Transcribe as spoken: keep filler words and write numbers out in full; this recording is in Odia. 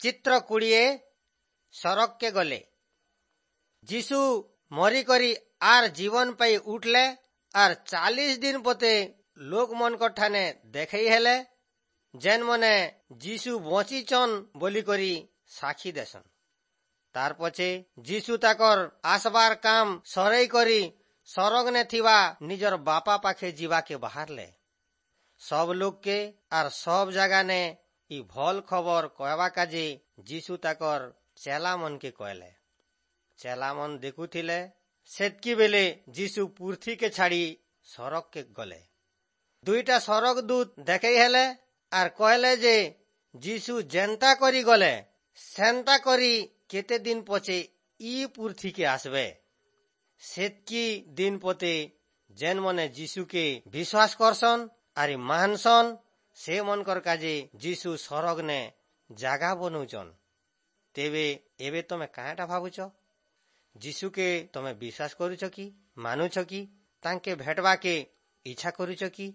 ଚିତ୍ର କୋଡ଼ିଏ ସରଗକେ ଗଲେ। ଯୀଶୁ ମରିକରି ଆର୍ ଜୀବନ ପାଇ ଉଠଲେ ଆର୍ ଚାଳିଶ ଦିନ ପତେ ଲୋକମନଙ୍କ ଠାନେ ଦେଖେଇ ହେଲେ, ଯେନ୍ ମନେ ଯୀଶୁ ବଞ୍ଚିଛନ୍ ବୋଲିକରି ସାକ୍ଷୀ ଦେସନ୍। ତାର ପଛେ ଯୀଶୁ ତାକର ଆସବାର କାମ ସରେଇ କରି ସରଗନେ ଥିବା ନିଜର ବାପା ପାଖେ ଯିବାକେ ବାହାରଲେ। ସବ ଲୋକକେ ଆର୍ ସବ ଜାଗାନେ ଇ ଭଲ ଖବର କହବା କାଜେ ଯୀଶୁ ତାକର ଚେଲା ମନକେ କହଲେ। ଚେଲା ମନ ଦେଖୁଥିଲେ, ସେତକି ବେଲେ ଯୀଶୁ ପୃଥ୍ୱୀକେ ଛାଡି ସରଗକେ ଗଲେ। ଦୁଇଟା ସରଗ ଦୂତ ଦେଖେଇ ହେଲେ ଆର୍ କହଲେ ଯେ ଯୀଶୁ ଯେନ୍ତା କରି ଗଲେ ସେନ୍ତା କରି କେତେ ଦିନ ପଛେ ଇ ପୃଥ୍ୱୀକେ আসবে। ସେତକି ଦିନ ପତେ ଯେନ୍ ମନେ ଯୀଶୁକେ ବିଶ୍ୱାସ କରସନ୍ ଆରି ମାନସନ୍, ସେ ମନକର କାଜେ ଯୀଶୁ ସରଗନେ ଜାଗା ବନଉଛନ୍। ତେବେ ଏବେ ତମେ କାଁଟା ଭାବୁଛ? ଯୀଶୁକେ ତମେ ବିଶ୍ୱାସ କରୁଛ କି, ମାନୁଛ କି, ତାଙ୍କେ ଭେଟବାକେ ଇଚ୍ଛା କରୁଛ କି?